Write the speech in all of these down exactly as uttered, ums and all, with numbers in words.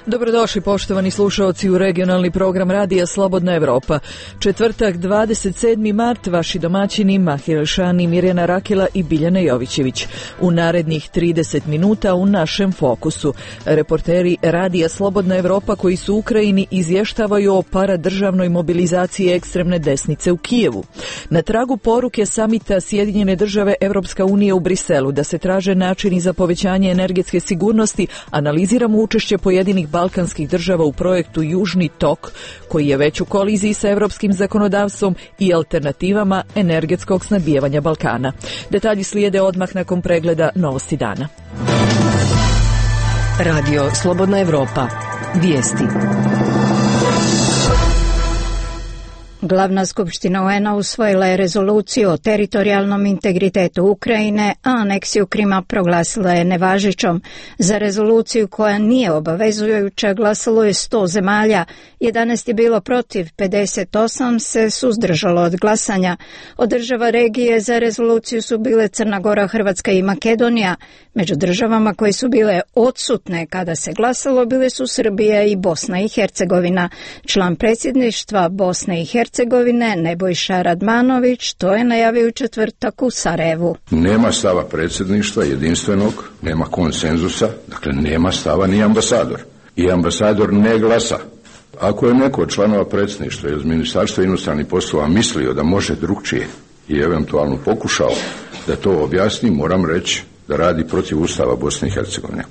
Dobrodošli poštovani slušaoci u regionalni program Radija Slobodna Evropa. Četvrtak, dvadeset sedmi mart, vaši domaćini Mahir Šani, Mirjana Rakila i Biljana Jovićević. U narednih trideset minuta u našem fokusu. Reporteri Radija Slobodna Evropa koji su u Ukrajini izvještavaju o paradržavnoj mobilizaciji ekstremne desnice u Kijevu. Na tragu poruke samita Sjedinjene države Evropska unija u Briselu da se traže načini za povećanje energetske sigurnosti, analiziramo učešće pojedinih balkanskih država u projektu Južni tok, koji je već u koliziji sa evropskim zakonodavstvom i alternativama energetskog snabdijevanja Balkana. Detalji slijede odmah nakon pregleda novosti dana. Radio Slobodna Evropa. Vijesti. Glavna skupština U N A usvojila je rezoluciju o teritorijalnom integritetu Ukrajine, a aneksiju Krima proglasila je nevažećom. Za rezoluciju koja nije obavezujuća glasalo je sto zemalja, jedanaest je bilo protiv, pedeset osam se suzdržalo od glasanja. Od država regije za rezoluciju su bile Crna Gora, Hrvatska i Makedonija. Među državama koje su bile odsutne kada se glasalo bile su Srbija i Bosna i Hercegovina. Član predsjedništva Bosne i Hercegovine Hercegovine Nebojša Radmanović to je najavio u četvrtak u Sarajevu. Nema stava predsjedništva jedinstvenog, nema konsenzusa, dakle nema stava ni ambasador. I ambasador ne glasa. Ako je neko od članova predsjedništva iz Ministarstva inostranih poslova mislio da može drugčije i eventualno pokušao da to objasni, moram reći da radi protiv Ustava Bosne i Hercegovine.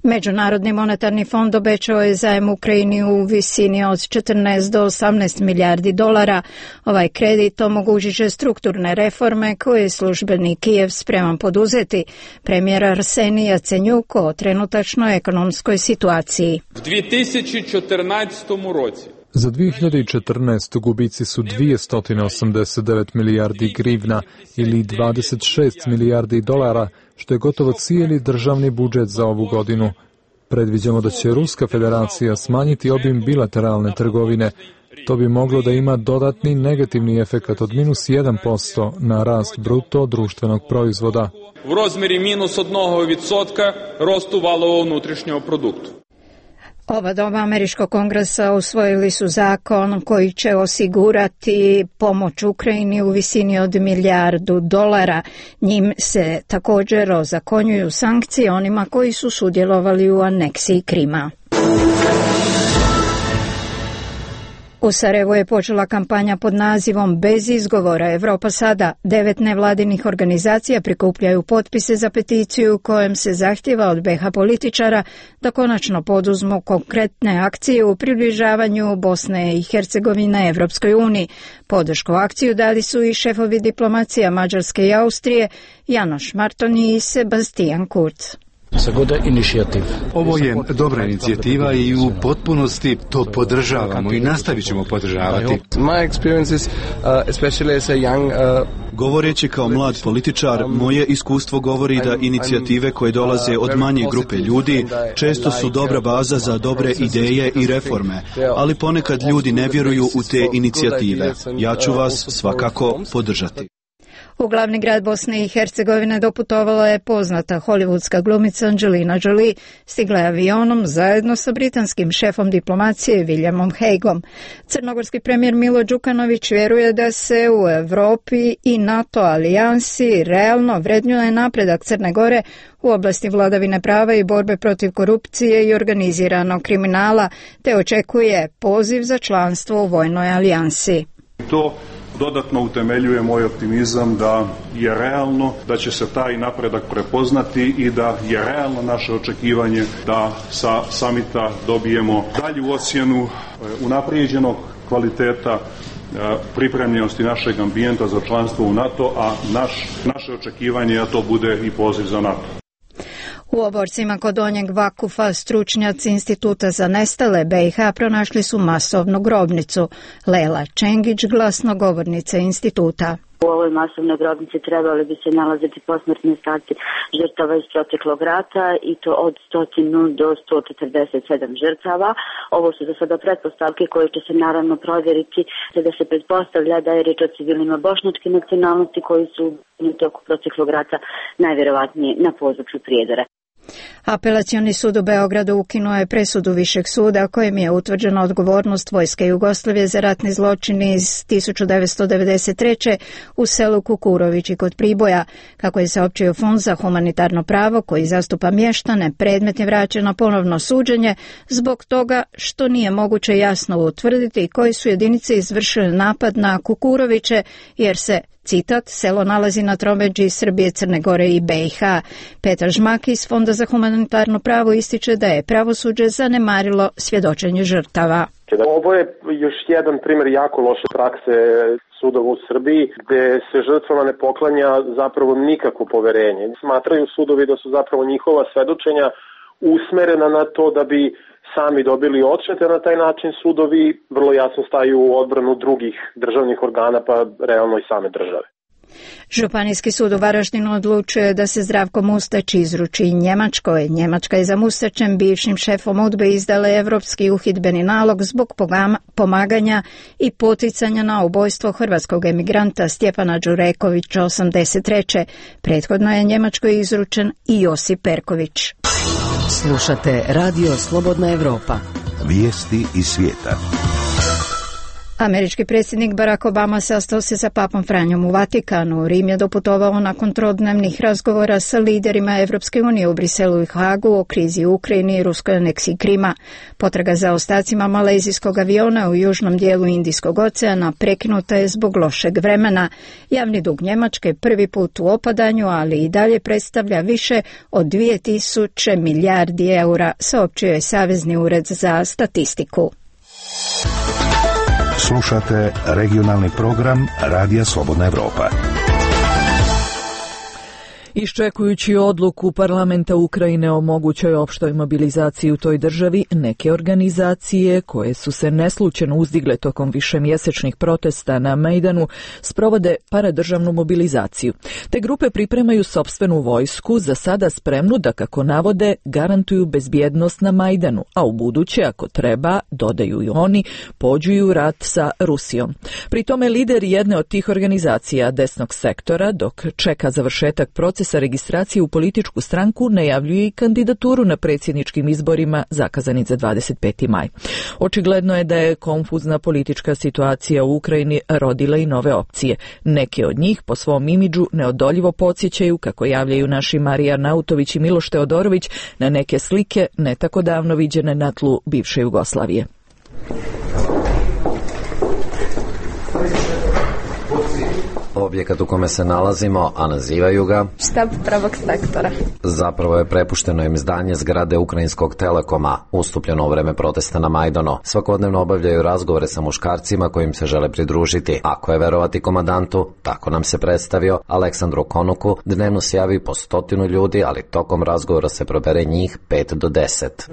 Međunarodni monetarni fond obećao je zajam Ukrajini u visini od četrnaest do osamnaest milijardi dolara. Ovaj kredit omogućit će strukturne reforme koje je službeni Kijev spreman poduzeti. Premijer Arsenij Jacenjuk o trenutačnoj ekonomskoj situaciji. U dvije tisuće četrnaestom roci za dvije hiljade četrnaestu. gubici su dvjesto osamdeset devet milijardi grivna ili dvadeset šest milijardi dolara, što je gotovo cijeli državni budžet za ovu godinu. Predviđamo da će Ruska federacija smanjiti obim bilateralne trgovine. To bi moglo da ima dodatni negativni efekat od minus jedan posto na rast bruto društvenog proizvoda. U rozmjeri minus jednog posto rostu valova unutrašnjeg produkta. Oba doma Američkog kongresa usvojili su zakon koji će osigurati pomoć Ukrajini u visini od milijardu dolara. Njim se također ozakonjuju sankcije onima koji su sudjelovali u aneksiji Krima. U Sarajevu je počela kampanja pod nazivom Bez izgovora Evropa sada. Devet nevladinih organizacija prikupljaju potpise za peticiju kojem se zahtjeva od be ha političara da konačno poduzmu konkretne akcije u približavanju Bosne i Hercegovine Evropskoj uniji. Podršku akciju dali su i šefovi diplomacija Mađarske i Austrije Janoš Martoni i Sebastian Kurz. Ovo je dobra inicijativa i u potpunosti to podržavamo i nastavit ćemo podržavati. Govoreći kao mlad političar, moje iskustvo govori da inicijative koje dolaze od manje grupe ljudi često su dobra baza za dobre ideje i reforme, ali ponekad ljudi ne vjeruju u te inicijative. Ja ću vas svakako podržati. U glavni grad Bosne i Hercegovine doputovala je poznata hollywoodska glumica Angelina Jolie. Stigla je avionom zajedno sa britanskim šefom diplomacije Williamom Hagueom. Crnogorski premijer Milo Đukanović vjeruje da se u Europi i NATO alijansi realno vrednjuje napredak Crne Gore u oblasti vladavine prava i borbe protiv korupcije i organiziranog kriminala, te očekuje poziv za članstvo u vojnoj alijansi. To dodatno utemeljuje moj optimizam da je realno da će se taj napredak prepoznati i da je realno naše očekivanje da sa samita dobijemo dalju ocjenu unaprijeđenog kvaliteta pripremljenosti našeg ambijenta za članstvo u NATO, a naš, naše očekivanje je da to bude i poziv za NATO. U oborcima kod Donjeg Vakufa stručnjaci Instituta za nestale be i ha pronašli su masovnu grobnicu. Lela Čengić, glasnogovornica instituta. U ovoj masovnoj grobnici trebali bi se nalaziti posmrtni ostaci žrtava iz proteklog rata i to od sto do sto četrdeset sedam žrtava. Ovo su za sada pretpostavke koje će se naravno provjeriti, da se pretpostavlja da je riječ o civilima bošnjačke nacionalnosti koji su u toku proteklog rata najvjerovatnije na području Prijedora. Apelacioni sud u Beogradu ukinuo je presudu Višeg suda kojim je utvrđena odgovornost Vojske Jugoslavije za ratni zločin iz tisuću devetsto devedeset treće u selu Kukurovići kod Priboja. Kako je saopćio Fond za humanitarno pravo koji zastupa mještane, predmet je vraćen na ponovno suđenje zbog toga što nije moguće jasno utvrditi koji su jedinice izvršile napad na Kukuroviće jer se, citat, selo nalazi na tromeđi Srbije, Crne Gore i be i ha. Petar Žmak iz Fonda za humanitarno pravo ističe da je pravosuđe zanemarilo svjedočenje žrtava. Ovo je još jedan primjer jako loše prakse sudova u Srbiji, gde se žrtvama ne poklanja zapravo nikakvo poverenje. Smatraju sudovi da su zapravo njihova svedočenja usmerena na to da bi sami dobili odštete, na taj način sudovi vrlo jasno staju u odbranu drugih državnih organa, pa realno i same države. Županijski sud u Varaždinu odlučuje da se Zdravko Mustać izruči Njemačkoj. Njemačka je za Mustačem, bivšim šefom UDBE, izdala evropski uhidbeni nalog zbog pomaganja i poticanja na ubojstvo hrvatskog emigranta Stjepana Đurekovića osamdeset treće. Prethodno je Njemačkoj izručen i Josip Perković. Slušate Radio Slobodna Evropa. Vijesti iz svijeta. Američki predsjednik Barack Obama sastao se sa papom Franjom u Vatikanu. Rim je doputovao nakon trodnevnih razgovora sa liderima Evropske unije u Briselu i Hagu o krizi u Ukrajini i ruskoj aneksiji Krima. Potraga za ostacima malezijskog aviona u južnom dijelu Indijskog oceana prekinuta je zbog lošeg vremena. Javni dug Njemačke prvi put u opadanju, ali i dalje predstavlja više od dvije tisuće milijardi eura, saopćio je Savezni ured za statistiku. Slušate regionalni program Radija Slobodna Evropa. Iščekujući odluku parlamenta Ukrajine o mogućoj opštoj mobilizaciji u toj državi, neke organizacije koje su se neslučajno uzdigle tokom višemjesečnih protesta na Majdanu sprovode paradržavnu mobilizaciju. Te grupe pripremaju sopstvenu vojsku, za sada spremnu da, kako navode, garantuju bezbjednost na Majdanu, a u buduće, ako treba, dodaju i oni, pođu u rat sa Rusijom. Pri tome lider jedne od tih organizacija, desnog sektora, dok čeka završetak procesa sa registracije u političku stranku, najavljuje i kandidaturu na predsjedničkim izborima zakazani za dvadeset peti maj. Očigledno je da je konfuzna politička situacija u Ukrajini rodila i nove opcije. Neke od njih po svom imidžu neodoljivo podsjećaju, kako javljaju naši Marija Nautović i Miloš Teodorović, na neke slike ne tako davno viđene na tlu bivše Jugoslavije. Objekat u kome se nalazimo, a nazivaju ga štab prvog sektora. Zapravo je prepušteno im zdanje zgrade Ukrajinskog Telekoma, ustupljeno u vreme protesta na Majdanu. Svakodnevno obavljaju razgovore sa muškarcima kojim se žele pridružiti. Ako je verovati komandantu, tako nam se predstavio, Aleksandru Konuku, dnevno se javi po stotinu ljudi, ali tokom razgovora se probere njih pet do deset.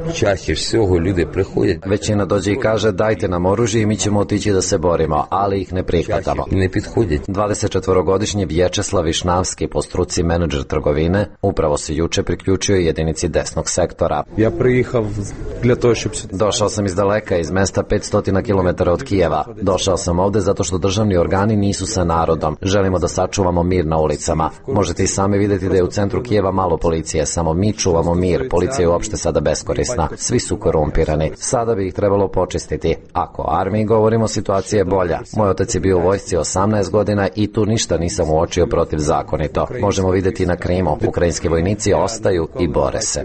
Većina dođe i kaže dajte nam oružje i mi ćemo otići da se borimo, ali ih ne prihvatamo. dvadeset četvorogodišnji Vječeslav Višnavski, po struci menadžer trgovine, upravo se juče priključio jedinici desnog sektora. Ja prijehav dla toho, щоб... Došao sam iz daleka, iz mesta petsto kilometara od Kijeva. Došao sam ovde zato što državni organi nisu sa narodom. Želimo da sačuvamo mir na ulicama. Možete i sami vidjeti da je u centru Kijeva malo policije, samo mi čuvamo mir. Policija je uopšte sada beskorisna. Svi su korumpirani. Sada bi ih trebalo počistiti. Ako o armiji govorimo, situacija je bolja. Moj otac je bio u vojsci osamnaest godina i tu ništa nisam uočio protivzakonito. Možemo vidjeti na Krimu. Ukrajinski vojnici ostaju i bore se.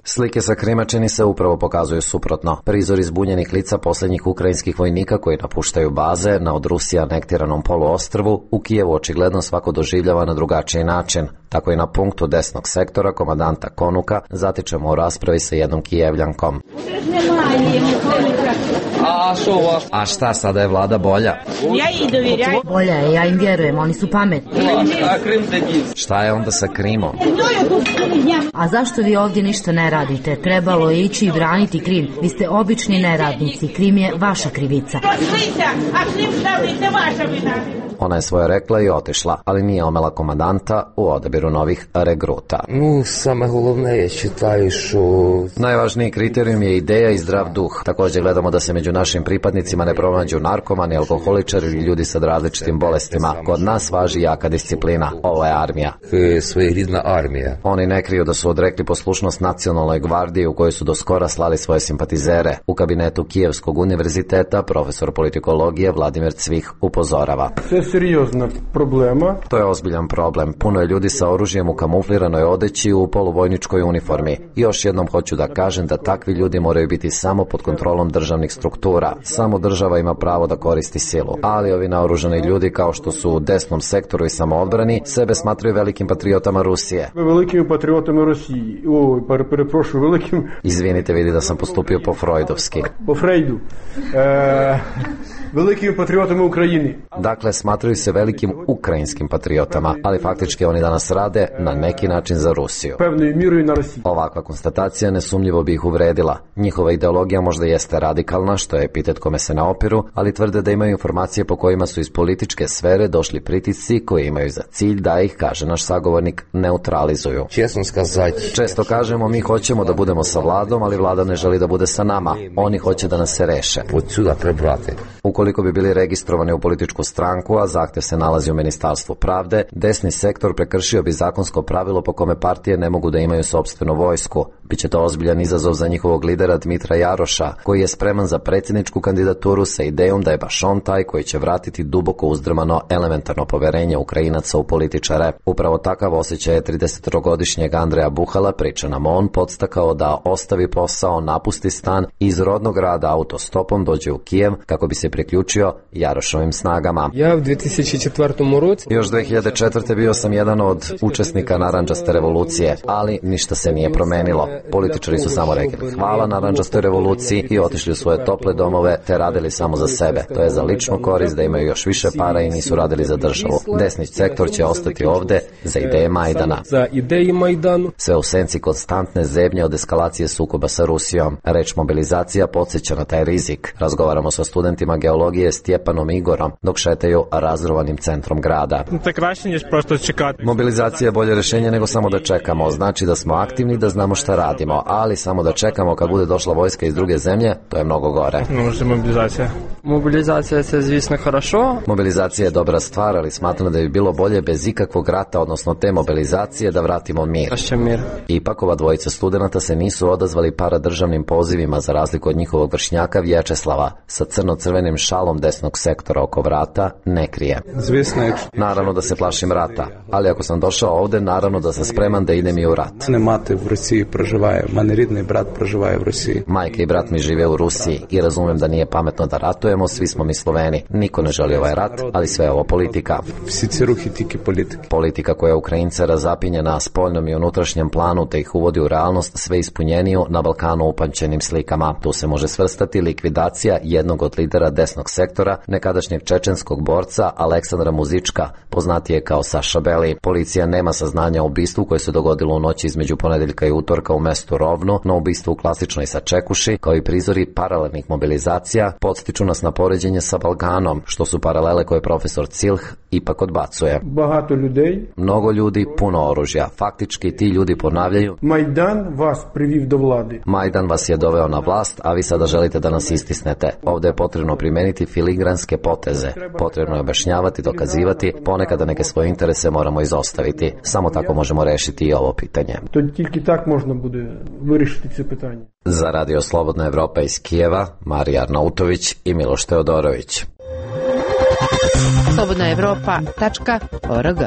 Slike sa Krima čini se upravo pokazuju suprotno. Prizori zbunjenih lica posljednjih ukrajinskih vojnika koji napuštaju baze na od Rusije anektiranom poluostrvu u Kijevu očigledno svako doživljava na drugačiji način. Tako i na punktu desnog sektora komandanta Konuka zatičemo u raspravi sa jednom Kijevljankom. A šta, sada je vlada bolja? Bolja je, ja im vjerujem, oni su pametni. Šta je onda sa Krimom? A zašto vi ovdje ništa ne radite? Trebalo je ići i braniti Krim. Vi ste obični neradnici, Krim je vaša krivica. Ona je svoje rekla i otišla, ali nije omela komandanta u odabiru novih regruta. No, same головне, ja čitaju što... Najvažniji kriterijum je ideja i zdrav duh. Također gledamo da se među našim pripadnicima ne pronađu narkomani, alkoholičari ili ljudi sa različitim bolestima. Kod nas važi jaka disciplina. Ovo je armija. Своєрідна армія. Oni ne kriju da su odrekli poslušnost nacionalnoj gvardiji u kojoj su do skora slali svoje simpatizere. U kabinetu Kijevskog univerziteta profesor politikologije Vladimir Cvih upozorava. To je ozbiljan problem. Puno je ljudi sa oružjem u kamufliranoj odeći u poluvojničkoj uniformi. I još jednom hoću da kažem da takvi ljudi moraju biti samo pod kontrolom državnih struktura. Samo država ima pravo da koristi silu. Ali ovi naoružani ljudi, kao što su u desnom sektoru i samoodbrani, sebe smatraju velikim patriotama Rusije. Velikim patriotama Rusiji. O, preprošu, velikim... Izvinite, vidi da sam postupio po freudovski. Po Freudu. E, velikim patriotama Ukrajini. Dakle, smatraju se velikim ukrajinskim patriotama, ali faktički oni danas rade na neki način za Rusiju. Pevnoj miru i na Rusiji. Ovakva konstatacija nesumnjivo bi ih uvredila. Njihova ideologija možda jeste radikalna, što je epitet kome se ne opiru, ali tvrde da imaju informacije po kojima su iz političke sfere došli pritisci koji imaju za cilj da ih, kaže naš sagovornik, neutralizuju. Često kažemo mi hoćemo da budemo sa vladom, ali vlada ne želi da bude sa nama. Oni hoće da nas se reše. Ukoliko bi bili registrovani u političku stranku, a zahtev se nalazi u Ministarstvu pravde, desni sektor prekršio bi zakonsko pravilo po kome partije ne mogu da imaju sopstvenu vojsku. Biće to ozbiljan izazov za njihovog lidera Dmitra Jaroša, koji je spreman za predsjedničku kandidaturu sa idejom da je baš on taj koji će vratiti duboko uzdrmano elementarno poverenje Ukrajinaca u političare. Upravo takav osjećaj je tridesetogodišnjeg Andreja Buhala, priča nam on, podstakao da ostavi posao, napusti stan i iz rodnog grada autostopom dođe u Kijev kako bi se priključio Jarošovim snagama. Ja u dvije tisuće četvrtom Još dve hiljade četvrte bio sam jedan od učesnika narandžaste revolucije, ali ništa se nije promenilo. Političari su samo rekli hvala narandžastoj revoluciji i otišli u svoje tople domove te radili samo za sebe. To je za ličnu korist da imaju još više para i nisu radili za državu. Desni sektor će ostati ovde za ideje Majdana. Za ideje Majdanu. Sve u senci konstantne zebnje od eskalacije sukoba sa Rusijom. Reč mobilizacija podsjeća na taj rizik. Razgovaramo sa studentima geologije Stjepanom i Igorom dok šetaju razrovanim centrom grada. Mobilizacija je bolje rješenje nego samo da čekamo. Znači da smo aktivni, da znamo šta radimo, ali samo da čekamo kad bude došla vojska iz druge zemlje, to je mnogo gore. Mobilizacija. Mobilizacija je zvisno хорошо. Mobilizacija je dobra stvar, ali smatram da bi bilo bolje bez ikakvog rata, odnosno te mobilizacije, da vratimo mir. mir. Ipak ova dvojica studenata se nisu odazvali paradržavnim pozivima za razliku od njihovog vršnjaka Vječeslava sa crno-crvenim šalom desnog sektora oko vrata ne krije. Zvisno je. Naravno da se plašim rata, ali ako sam došao ovde, naravno da sam spreman da idem i u rat. Ne mate u Rusiji proživaje, mane ridni brat proživaje u Rusiji. Majka i brat mi žive u Rusiji i razumem da nije pametno da ratujemo, svi smo mi Sloveni. Niko ne želi ovaj rat, ali sve je ovo politika. Vsi ruhi tiki politike. Politika koja Ukrajince razapinje na spoljnom i unutrašnjem planu te ih uvodi u realnost sve ispunjeniju na Balkanu upančenim slikama. Tu se može svrstati likvidacija jednog od lidera desnog sektora, nekadašnjeg čečenskog borca Aleksandra Muzička, poznatije kao Saša Beli. Policija nema saznanja o ubistvu koje se dogodilo u noći između ponedeljka i utorka u mestu Rovno, no ubistvu u klasičnoj Sačekuši, kao i prizori paralelnih mobilizacija, podstiču nas na poređenje sa Balkanom, što su paralele koje profesor Cilh ipak odbacuje. Bahato ljudi. Mnogo ljudi, puno oružja. Faktički ti ljudi ponavljaju: Majdan vas priviv do vlade. Majdan vas je doveo na vlast, a vi sada želite da nas istisnete. Ovdje je potrebno primijeniti filigranske poteze. Potrebno je objašnjavati, dokazivati, ponekada neke svoje interese moramo izostaviti. Samo tako možemo rešiti i ovo pitanje. To tільки так можна буде вирішити це питання. Za Radio Slobodna Evropa iz Kijeva, Marija Arnautović i Miloš Teodorović. slobodna evropa tačka org.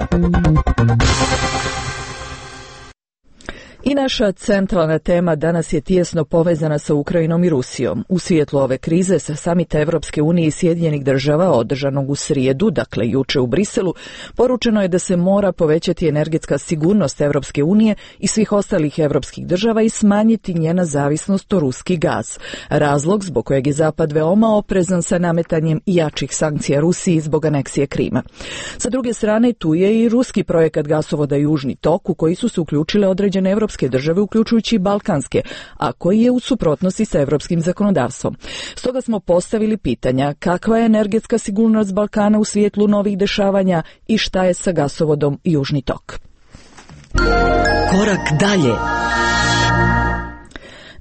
I naša centralna tema danas je tijesno povezana sa Ukrajinom i Rusijom. U svijetlu ove krize sa samita Evropske unije i Sjedinjenih država održanog u srijedu, dakle juče u Briselu, poručeno je da se mora povećati energetska sigurnost Evropske unije i svih ostalih evropskih država i smanjiti njena zavisnost o ruski gaz. Razlog zbog kojeg je Zapad veoma oprezan sa nametanjem jačih sankcija Rusiji zbog aneksije Krima. Sa druge strane, tu je i ruski projekat gasovoda Južni tok, u koji su se uključile određene evropske države, uključujući i balkanske, a koji je u suprotnosti sa evropskim zakonodavstvom. Stoga smo postavili pitanja kakva je energetska sigurnost Balkana u svijetlu novih dešavanja i šta je sa gasovodom Južni tok. Korak dalje.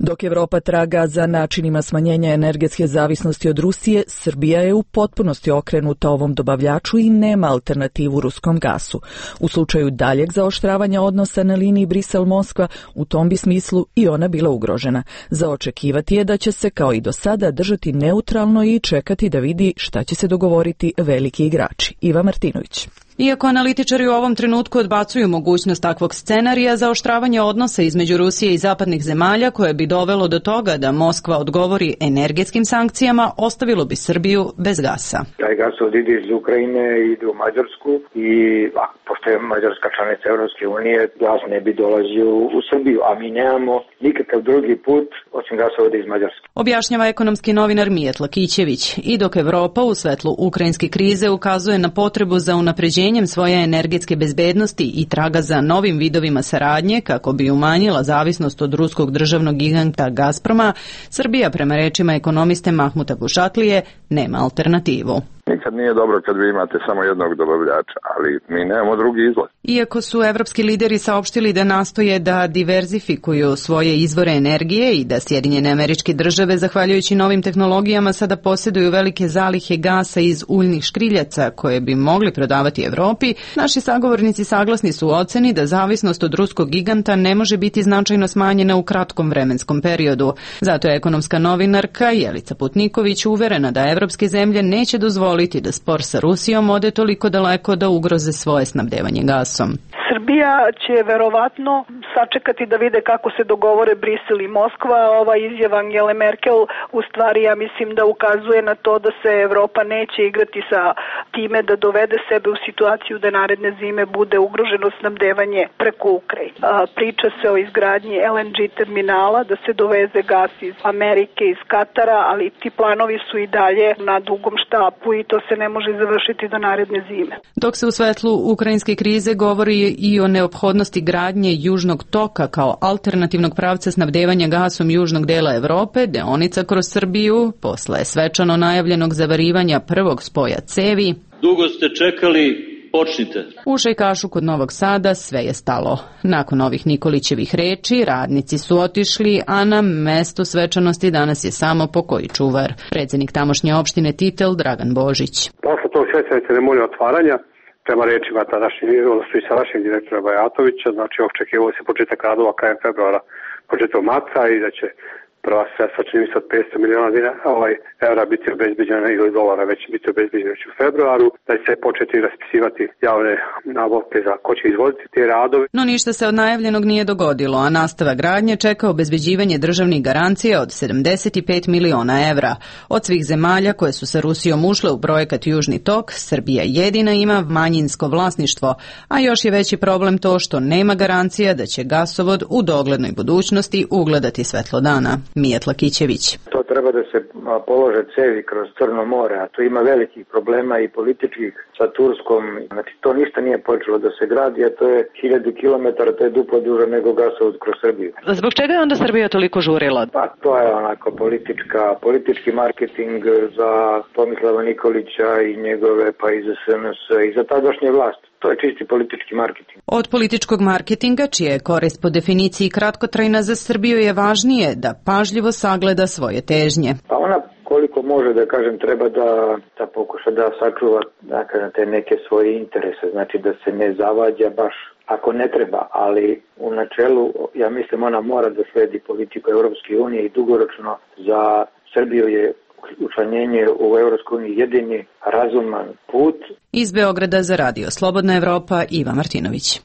Dok Evropa traga za načinima smanjenja energetske zavisnosti od Rusije, Srbija je u potpunosti okrenuta ovom dobavljaču i nema alternativu ruskom gasu. U slučaju daljeg zaoštravanja odnosa na liniji Brisel-Moskva, u tom bi smislu i ona bila ugrožena. Za očekivati je da će se kao i do sada držati neutralno i čekati da vidi šta će se dogovoriti veliki igrači. Iva Martinović. Iako analitičari u ovom trenutku odbacuju mogućnost takvog scenarija, zaoštravanje odnosa između Rusije i zapadnih zemalja koje bi dovelo do toga da Moskva odgovori energetskim sankcijama, ostavilo bi Srbiju bez gasa. Taj gasovod ide iz Ukrajine, ide u Mađarsku i a, pošto je Mađarska članica Evropske unije, gas ne bi dolazio u Srbiju, a mi nemamo nikakav drugi put osim gasovoda iz Mađarske. Objašnjava ekonomski novinar Mijatla Kićević. I dok Evropa u svetlu ukrajinske krize ukazuje na potrebu za unapređenje svoje energetske bezbednosti i traga za novim vidovima saradnje kako bi umanjila zavisnost od ruskog državnog giganta Gazproma, Srbija, prema rečima ekonomiste Mahmuta Bušatlije, nema alternativu. Nikad nije dobro kad vi imate samo jednog dobavljača, ali mi nemamo drugi izlaz. Iako su evropski lideri saopštili da nastoje da diverzifikuju svoje izvore energije i da Sjedinjene Američke Države, zahvaljujući novim tehnologijama, sada posjeduju velike zalihe gasa iz uljnih škriljaca koje bi mogli prodavati Evropi, naši sagovornici saglasni su u oceni da zavisnost od ruskog giganta ne može biti značajno smanjena u kratkom vremenskom periodu. Zato je ekonomska novinarka Jelica Putniković uverena da evropske zemlje neće dozvoliti da spor sa Rusijom ode toliko daleko da ugroze svoje snabdevanje gasom. Srbija će verovatno sačekati da vide kako se dogovore Brisel i Moskva. Ova izjava Angele Merkel u stvari, ja mislim, da ukazuje na to da se Evropa neće igrati sa time da dovede sebe u situaciju da naredne zime bude ugroženo snabdevanje preko Ukrajine. Priča se o izgradnji el en ge terminala, da se doveze gas iz Amerike, iz Katara, ali ti planovi su i dalje na dugom štapu i to se ne može završiti do naredne zime. Dok se u svetlu ukrajinske krize govori i o neophodnosti gradnje Južnog toka kao alternativnog pravca snabdevanja gasom južnog dela Evrope, deonica kroz Srbiju, posle svečano najavljenog zavarivanja prvog spoja cevi. Dugo ste čekali, počnite. U Šajkašu kod Novog Sada sve je stalo. Nakon ovih Nikolićevih reči, radnici su otišli, a na mestu svečanosti danas je samo pokoji čuvar. Predsjednik tamošnje opštine Titel Dragan Božić. Posle tog svečane ceremonije otvaranja, prema rečima tadašnjeg, odnosno i sadašnjeg direktora Bajatovića, znači očekivao se početak radova krajem februara, početak marta i da će prva sredstva čini se od petsto miliona dinara, ovaj evra biti obezbeđena ili dolara već biti obezbeđena u februaru, da će se početi raspisivati javne nabavke za ko će izvoditi te radove. No ništa se od najavljenog nije dogodilo, a nastava gradnje čeka obezbeđivanje državnih garancija od sedamdeset pet miliona evra. Od svih zemalja koje su sa Rusijom ušle u projekat Južni tok, Srbija jedina ima manjinsko vlasništvo, a još je veći problem to što nema garancija da će gasovod u doglednoj budućnosti ugledati svetlo dana. Mijatla Kićević. To treba da se polože cevi kroz Crno more, a tu ima velikih problema i političkih sa Turskom. Znači to ništa nije počelo da se gradi, a to je hiljadu kilometara, to je duplo duže nego gasovod kroz Srbiju. Zbog čega je onda Srbija toliko žurila? Pa to je onako politička, politički marketing za Tomislava Nikolića i njegove, pa i za es en es i za tadašnje vlast. To je čisti politički marketing. Od političkog marketinga, čija je korist po definiciji kratkotrajna, za Srbiju je važnije da pažljivo sagleda svoje težnje. Pa ona koliko može, da kažem, treba da, da pokuša da sačuva, da kažem, te neke svoje interese, znači da se ne zavađa baš ako ne treba, ali u načelu, ja mislim, ona mora da sledi politiku Evropske unije i dugoročno za Srbiju je učlanjenje u Evropskoj uniji jedini razuman put. Iz Beograda za Radio Slobodna Evropa, Iva Martinović.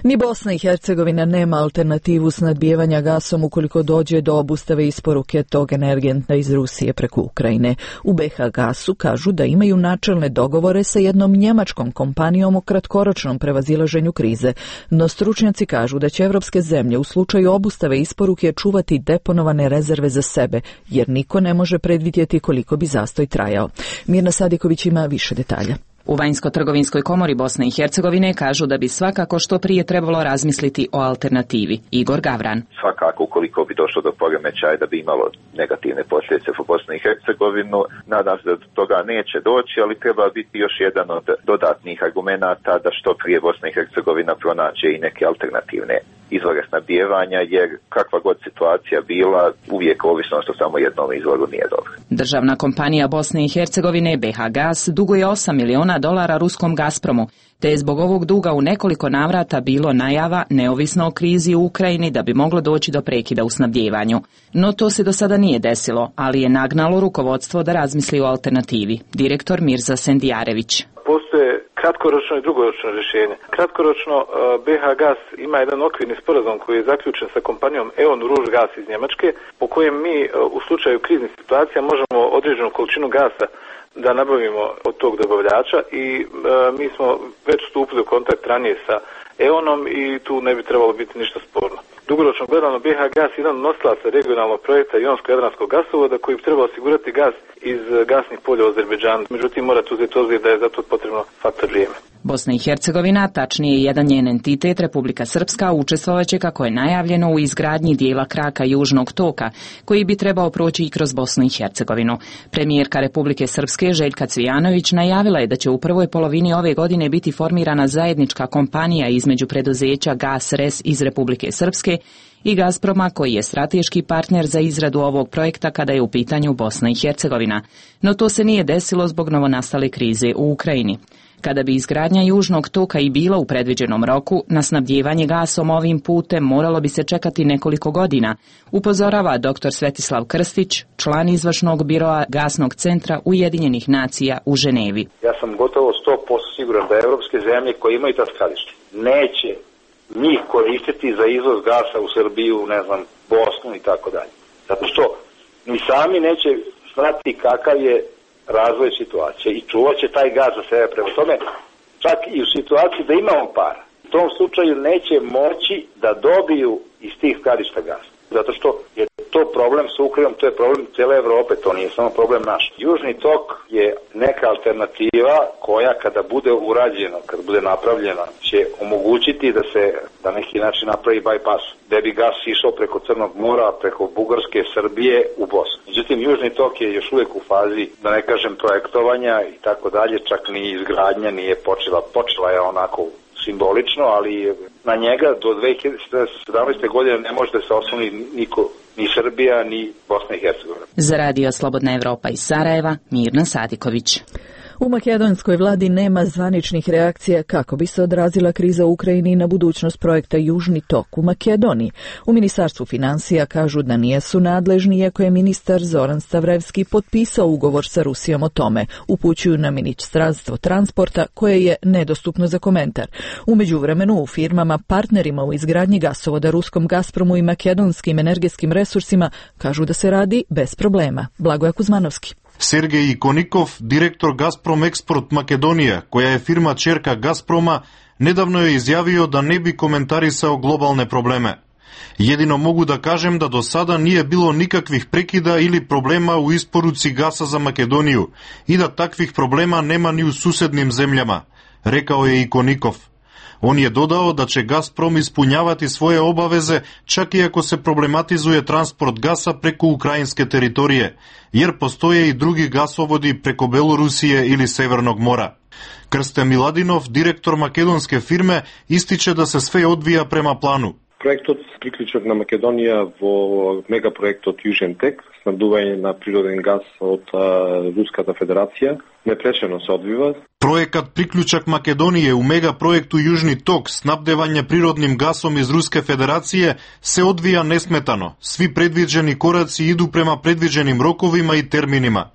Ni Bosna i Hercegovina nema alternativu snadbijevanja gasom ukoliko dođe do obustave isporuke tog energenta iz Rusije preko Ukrajine. U be ha Gasu kažu da imaju načelne dogovore sa jednom njemačkom kompanijom o kratkoročnom prevazilaženju krize, no stručnjaci kažu da će evropske zemlje u slučaju obustave isporuke čuvati deponovane rezerve za sebe, jer niko ne može predvidjeti koliko bi zastoj trajao. Mirna Sadiković ima više detalja. U Vanjsko-trgovinskoj komori Bosne i Hercegovine kažu da bi svakako što prije trebalo razmisliti o alternativi. Igor Gavran. Svakako, ukoliko bi došlo do poremećaja da bi imalo negativne posljedice po Bosnu i Hercegovinu, nadam se da do toga neće doći, ali treba biti još jedan od dodatnih argumenata da što prije Bosna i Hercegovina pronađe i neke alternativne izvore snabdijevanja, jer kakva god situacija bila, uvijek ovisnost o samo jednom izvoru nije dobro. Državna kompanija Bosne i Hercegovine B H Gas duguje osam miliona dolara ruskom Gazpromu, te je zbog ovog duga u nekoliko navrata bilo najava, neovisno o krizi u Ukrajini, da bi moglo doći do prekida u snabdijevanju. No to se do sada nije desilo, ali je nagnalo rukovodstvo da razmisli o alternativi. Direktor Mirza Sendijarević. Postoje kratkoročno i dugoročno rješenje. Kratkoročno B H Gas ima jedan okvirni sporazum koji je zaključen sa kompanijom E.ON Ružgas iz Njemačke, po kojem mi u slučaju kriznih situacija možemo određenu količinu gasa da nabavimo od tog dobavljača i e, mi smo već stupili u kontakt ranije sa E.ONom i tu ne bi trebalo biti ništa sporno. Dugoročno gledano B H Gas je jedan od nosilaca regionalnog projekta Jonsko-Jadranskog gasovoda koji bi trebao osigurati gas iz gasnih polja u Azerbejdžanu. Međutim, morate uzeti obzir da je za to potrebno faktor vrijeme. Bosna i Hercegovina, tačnije jedan njen entitet, Republika Srpska, učestvovaće, kako je najavljeno, u izgradnji dijela kraka Južnog toka, koji bi trebao proći i kroz Bosnu i Hercegovinu. Premijerka Republike Srpske Željka Cvijanović najavila je da će u prvoj polovini ove godine biti formirana zajednička kompanija između preduzeća Gas Res iz Republike Srpske i Gazproma, koji je strateški partner za izradu ovog projekta kada je u pitanju Bosna i Hercegovina. No to se nije desilo zbog novonastale krize u Ukrajini. Kada bi izgradnja Južnog toka i bila u predviđenom roku, na snabdijevanje gasom ovim putem moralo bi se čekati nekoliko godina, upozorava doktor Svetislav Krstić, član izvršnog biroa Gasnog centra Ujedinjenih nacija u Ženevi. Ja sam gotovo sto posto siguran da evropske zemlje koje imaju ta skladišta neće njih koristiti za izvoz gasa u Srbiju, ne znam, Bosnu i tako dalje. Zato što ni sami neće znati kakav je razvoj situacije i čuvat će taj gaz za sebe. Prema tome, čak i u situaciji da imamo para, u tom slučaju neće moći da dobiju iz tih skladišta gas. Zato što je to problem sa Ukrajinom, to je problem cijele Evrope, to nije samo problem naš. Južni tok je neka alternativa koja kada bude urađena, kada bude napravljena, će omogućiti da se na neki način napravi bypass, da bi gas išao preko Crnog mora, preko Bugarske, Srbije u Bosnu. Međutim, Južni tok je još uvijek u fazi, da ne kažem, projektovanja i tako dalje, čak ni izgradnja nije počela. Počela je onako simbolično, ali na njega do dve hiljade sedamnaeste. godine ne može da se osloni niko, ni Srbija, ni Bosna i Hercegovina. Za Radio Slobodna Evropa iz Sarajeva, Mirna Sadiković. U makedonskoj vladi nema zvaničnih reakcija kako bi se odrazila kriza u Ukrajini na budućnost projekta Južni tok u Makedoniji. U Ministarstvu financija kažu da nijesu nadležni, iako je ministar Zoran Stavrevski potpisao ugovor sa Rusijom o tome. Upućuju na Ministarstvo transporta, koje je nedostupno za komentar. U međuvremenu u firmama partnerima u izgradnji gasovoda ruskom Gazpromu i makedonskim energetskim resursima kažu da se radi bez problema. Blagoje Kuzmanovski. Sergej Ikonikov, direktor Gazprom Eksport Makedonija, koja je firma čerka Gazproma, nedavno je izjavio da ne bi komentarisao globalne probleme. Jedino mogu da kažem da do sada nije bilo nikakvih prekida ili problema u isporuci gasa za Makedoniju i da takvih problema nema ni u susednim zemljama, rekao je Ikonikov. On je dodao da će Gazprom ispunjavati svoje obaveze čak i ako se problematizuje transport gasa preko ukrajinske teritorije, jer postoje i drugi gasovodi preko Belorusije ili Severnog mora. Krste Miladinov, direktor makedonske firme, ističe da se sve odvija prema planu. Проектот приклучок на Македонија во мегапроектот Южен тек, снабдување на природен газ од Руската Федерација, непречено се одвива. Проекат Приклучак Македонија у мегапроекту Јужни ток, снабдевање природним гасом из Руска Федерација, се одвија несметано. Сви предвиđени кораци иду према предвиđenim роковима и терминима.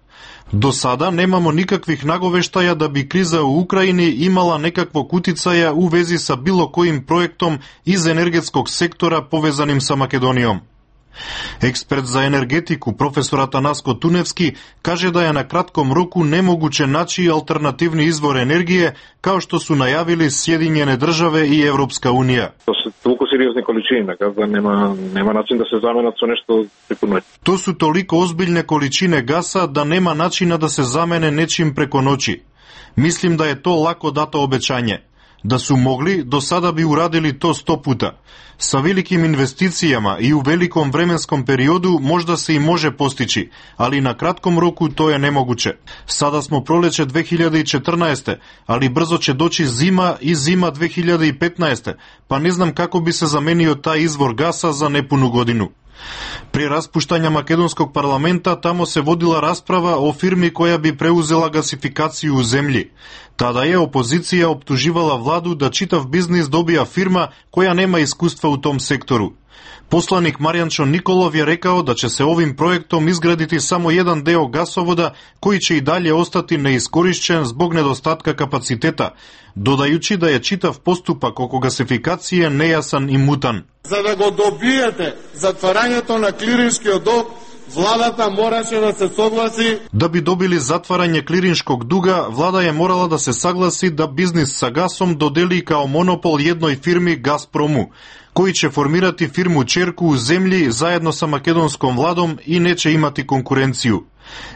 До сада немамо никаквих наговештаја да би криза у Украјини имала некаквог утицаја у вези са било којим проектом из енергетског сектора повезаним са Македонијом. Експерт за енергетику професор Атанаско Туневски каже да е на кратком року немогуче начи алтернативни извор енергije, kao što su najavili Sjedinjene države i Evropska unija. To su toliko seriozne količine, da nema, nema način da se zamenat sa nešto preko noći. To su toliko ozbiljne količine gasa da nema načina da se zamene nečim preko noći. Mislim da je to lako dato obećanje. Da su mogli, do sada bi uradili to sto puta. Sa velikim investicijama i u velikom vremenskom periodu možda se i može postići, ali na kratkom roku to je nemoguće. Sada smo proleće dve hiljade četrnaeste. ali brzo će doći zima i zima dve hiljade petnaeste. pa ne znam kako bi se zamenio taj izvor gasa za nepunu godinu. Pri raspuštanja makedonskog parlamenta tamo se vodila rasprava o firmi koja bi preuzela gasifikaciju u zemlji. Tada je opozicija optuživala vladu da čitav biznis dobija firma koja nema iskustva u tom sektoru. Poslanik Marijančo Nikolov je rekao da će se ovim projektom izgraditi samo jedan deo gasovoda koji će i dalje ostati neiskorišćen zbog nedostatka kapaciteta, dodajući da je čitav postupak oko gasifikacije nejasan i mutan. За да го добиете затварањето на клириншкиот док, владата мораше да се согласи. Da bi dobili zatvaranje klirinškog duga, vlada je morala da se saglasi da biznis sa gasom dodeli kao monopol jednoj firmi Gazpromu, koji će formirati firmu ćerku u zemlji zajedno sa makedonskom vladom i neće imati konkurenciju.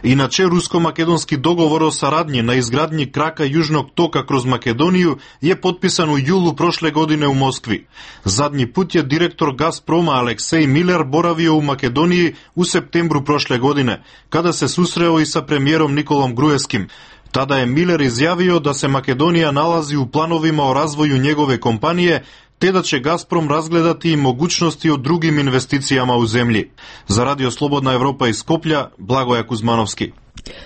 Inače, rusko-makedonski dogovor o saradnji na izgradnji kraka Južnog toka kroz Makedoniju je potpisan u julu prošle godine u Moskvi. Zadnji put je direktor Gazproma Aleksej Miller boravio u Makedoniji u septembru prošle godine, kada se susreo i sa premijerom Nikolom Gruevskim. Tada je Miller izjavio da se Makedonija nalazi u planovima o razvoju njegove kompanije, te da će Gazprom razgledati i mogućnosti o drugim investicijama u zemlji. Za Radio Slobodna Evropa iz Skoplja, Blagoja Kuzmanovski.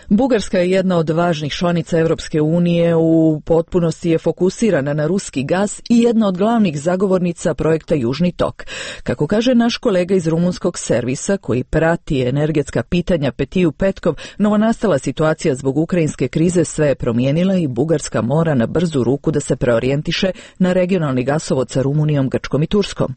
Bugarska je jedna od važnih članica Evropske unije, u potpunosti je fokusirana na ruski gas i jedna od glavnih zagovornica projekta Južni tok. Kako kaže naš kolega iz rumunskog servisa koji prati energetska pitanja Petiju Petkov, novonastala situacija zbog ukrajinske krize sve je promijenila i Bugarska mora na brzu ruku da se preorijentiše na regionalni gasovod sa Rumunijom, Grčkom i Turskom.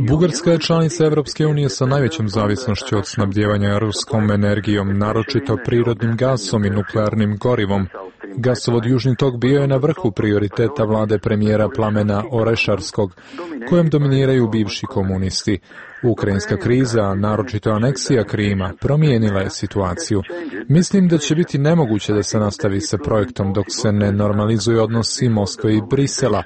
Bugarska je članica Evropske unije sa najvećom zavisnošću od snabdijevanja ruskom energijom, naročito prirodnim gasom i nuklearnim gorivom. Gasovod Južni tok bio je na vrhu prioriteta vlade premijera Plamena Orešarskog, kojem dominiraju bivši komunisti. Ukrajinska kriza, naročito aneksija Krima, promijenila je situaciju. Mislim da će biti nemoguće da se nastavi sa projektom dok se ne normalizuju odnosi Moskve i Brisela.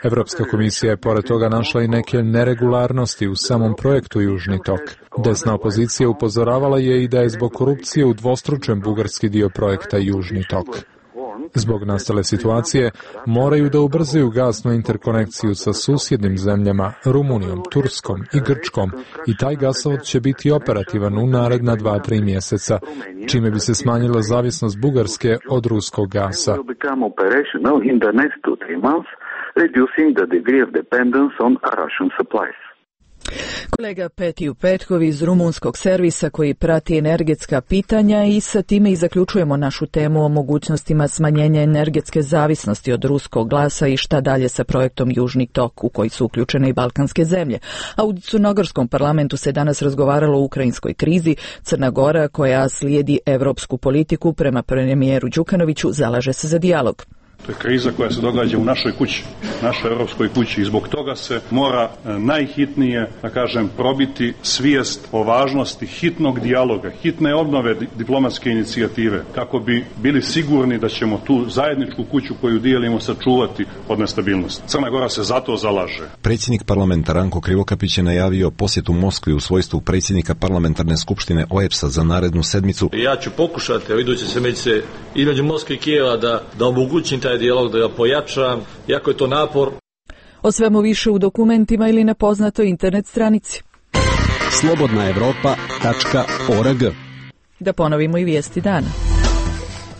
Evropska komisija je pored toga našla i neke neregularnosti u samom projektu Južni tok. Desna opozicija upozoravala je i da je zbog korupcije udvostručen bugarski dio projekta Južni tok. Zbog nastale situacije moraju da ubrzaju gasnu interkonekciju sa susjednim zemljama, Rumunijom, Turskom i Grčkom, i taj gasovod će biti operativan u naredna dva tri mjeseca, čime bi se smanjila zavisnost Bugarske od ruskog gasa. Reducing the degree of dependence on Russian supplies. Kolega Petiju Petkov iz rumunskog servisa koji prati energetska pitanja, i sa time i zaključujemo našu temu o mogućnostima smanjenja energetske zavisnosti od ruskog gasa i šta dalje sa projektom Južni tok u koji su uključene i balkanske zemlje. A u crnogorskom parlamentu se danas razgovaralo o ukrajinskoj krizi. Crna Gora, koja slijedi evropsku politiku prema premijeru Đukanoviću, zalaže se za dijalog. To je kriza koja se događa u našoj kući, našoj europskoj kući, i zbog toga se mora najhitnije, da kažem, probiti svijest o važnosti hitnog dijaloga, hitne obnove diplomatske inicijative, kako bi bili sigurni da ćemo tu zajedničku kuću koju dijelimo sačuvati od nestabilnosti. Crna Gora se zato zalaže. Predsjednik parlamenta Ranko Krivokapić je najavio posjetu Moskvi u svojstvu predsjednika parlamentarne skupštine O E B S-a za narednu sedmicu. Ja ću pokušati u iduće sedmice između Moskve i Kijeva da, da omogućim taj dijalog, da ga pojačam, jako je to napor. O svemu više u dokumentima ili na poznatoj internet stranici. slobodna evropa tačka org. Da ponovimo i vijesti dana.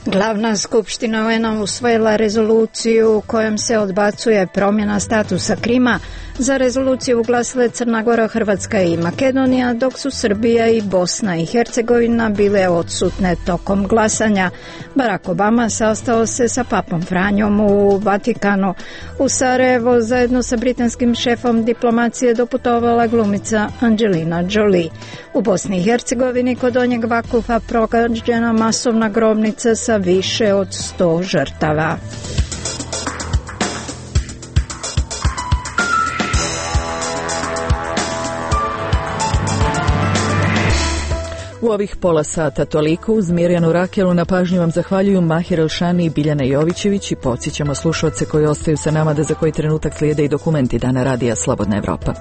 Glavna skupština U N-a usvojila rezoluciju kojom se odbacuje promjena statusa Krima. Za rezoluciju uglasile Crna Gora, Hrvatska i Makedonija, dok su Srbija i Bosna i Hercegovina bile odsutne tokom glasanja. Barack Obama sastao se sa papom Franjom u Vatikanu. U Sarajevo zajedno sa britanskim šefom diplomacije doputovala glumica Angelina Jolie. U Bosni i Hercegovini kod Donjeg Vakufa pronađena masovna grobnica sa više od sto žrtava. U ovih pola sata toliko. Uz Mirjanu Rakelu na pažnju vam zahvaljuju Mahir Elšani i Biljana Jovićević i podsjećamo slušaoce koji ostaju sa nama da za koji trenutak slijede i dokumenti Dana radija Slobodna Evropa.